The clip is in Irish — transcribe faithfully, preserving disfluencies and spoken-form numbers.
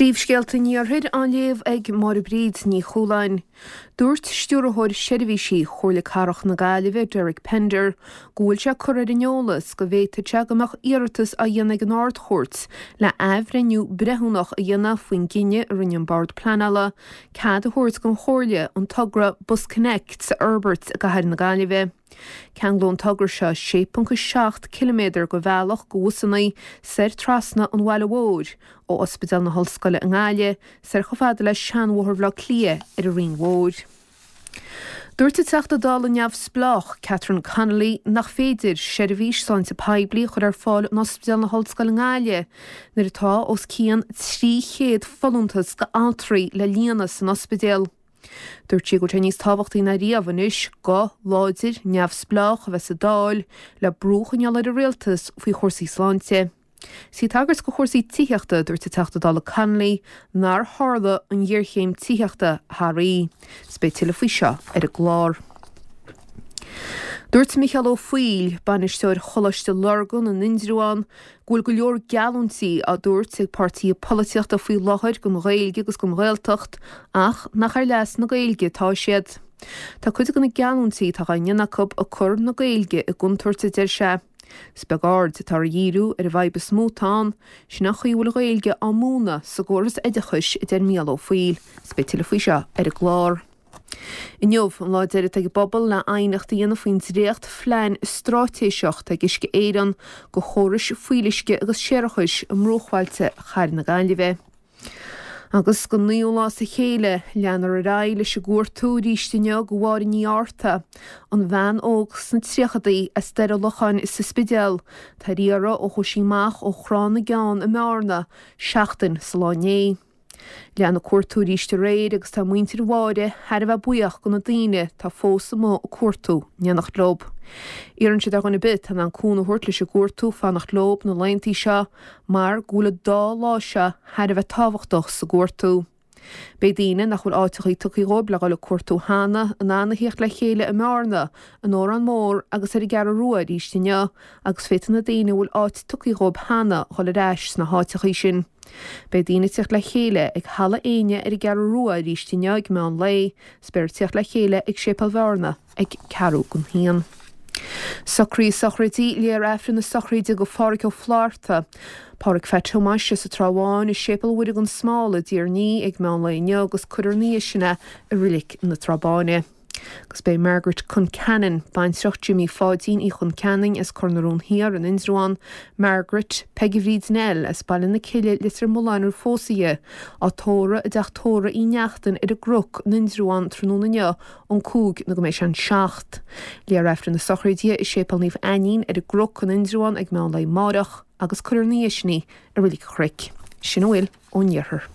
Príomhscéalta an Iarthair á léamh ag Máire Bríd Ní Chualáin. Dúirt Stiúrthóir Seirbhísí Chomhairle Cathrach na Gaillimhe, Derek Pender, go bhfuil sé curtha ar an eolas go bhféadfadh sé go mbeadh iarratas á dhéanamh ag an Ard-Chúirt le athbhreithniú breithiúnach a dhéanamh faoin gcinneadh a rinne an Bord Pleanála cead a thabhairt don Chomhairle an togra BusConnects a fhorbairt i gcathair na Gaillimhe. Ceanglóidh an togra seo sé ponc a seacht ciliméadar de bhealach do bhusanna soir trasna an bhaile mhóir, ó Ospidéal na hOllscoile i nGaillimh soir chomh fada le Seanbhóthar Bhaile Átha Cliath ar an Rinn Mhór. Dúirt an Teachta Dála neamhspleách Catherine Connolly nach féidir seirbhís sláinte poiblí a chur ar fáil in Ospidéal na hOllscoile i nGaillimh nuair atá os cionn trí chéad folúntas d'altraí le líonadh san ospidéal. Dúirt sí go bhfuil sé níos tábhachtaí ná riamh anois guth láidir neamhspleách a bheith sa Dáil le brú a choinneáil ar an rialtas faoi chúrsaí sláinte. Is í ag tagairt do chúrsaí tithíochta, dúirt an Teachta Dála Connolly nár tharla an ghéarchéim tithíochta thar oíche. Is beidh tuilleadh faoi seo ar an gclár. Dúirt Micheál Ó Foighil, bainisteoir Choláiste Lurgan in Indreabhán, go bhfuil go leor geallúintí á dtabhairt ag páirtithe polaitíochta faoi láthair don Ghaeilge agus don Ghaeltacht ach nach ar leas na Gaeilge atá siad. Tá cuid de na geallúintí atá á ndéanamh acu ag cur na Gaeilge i gcontúirt, a deir sé. Is beag aird atá á dhíriú ar an bhfadhb is mó atá ann, sin an chaoi a bhfuil an Ghaeilge á múineadh sa gcóras oideachais, a deir Micheál Ó Foighil. Is beidh tuilleadh faoi seo ar an gclár. Inniu an lá deiridh atá ag an bpobal le aighneacht a dhéanamh faoin dréacht-phlean straitéiseach atá ag Uisce Éireann do chórais fuíolluisce agus séarachais i mbruachbhailte Chathair na Gaillimhe. Agus don naoú lá as a chéile, leanfar ar aghaidh leis an gcuartú arís inniu do Mháire Ní Fhátharta, an bhean óg sna tríochadaí as Doire Locháin sa Spidéal, atá ar iarraidh ó chuaigh sí amach ó Thrá na gCeann i mBearna seachtain sa lá inné. Lean an cuartú arís aréir agus tá muintir Mháire thar a bheith buíoch do na daoine atá fós amuigh ag cuartú in éineacht leo. Iarrann siad ar dhuine ar bith atá in ann cúnamh a thabhairt leis an gcuartú fanacht leo na laethanta seo mar go bhfuil an dá lá seo thar a bheith tábhachtach sa gcuartú. Beidh daoine nach bhfuil áiteachaí tugtha dhóibh le dhul ag cuartú cheana in ann a thíocht le chéile i mBearna, in Órán Mór agus ar an gCeathrú Rua arís inniu agus féadfaidh na daoine a bhfuil áit tugtha dhóibh cheana dhul ar ais sna háiteachaí sin. Beidh daoine ag tíocht le chéile ag Halla Éinne ar an gCeathrú Rua arís inniu ag meán lae, is beifear ag tíocht le chéile ag Séipéal Bhearna ag ceathrú don haon. Socruithe sochraide, léifear Aifreann na sochraide do Phádhraic Ó Flatharta, Pádhraic Pheait Thomáis as an Trá Bháin i Séipéal Mhuire gan Smál i dTír an Fhia ag meán lae inniu agus cuirfear ina dhiaidh sin é i Reilig na Trá Báine. Agus beidh Margaret Concannon, baintreach Jimmy Pháidín Uí Chonceanainn as Cor na Rón Thiar in Indreabhán, Margaret, Peige Bhríd Nell as Baile na Cille, Leitir Mealláin roimh phósadh di, á tórramh i dteach tórraimh Uí Neachtain ar an gCnoc in Indreabhán tráthnóna inniu ón cúig nó go mbeidh sé an seacht. Léifear Aifreann na sochraide i Séipéal Naomh Ainnín ar an gCnoc in Indreabhán ag meán lae amáireach agus cuirfear ina dhiaidh sin í i Reilig an Chnoic. Sin a bhfuil ón iarthar.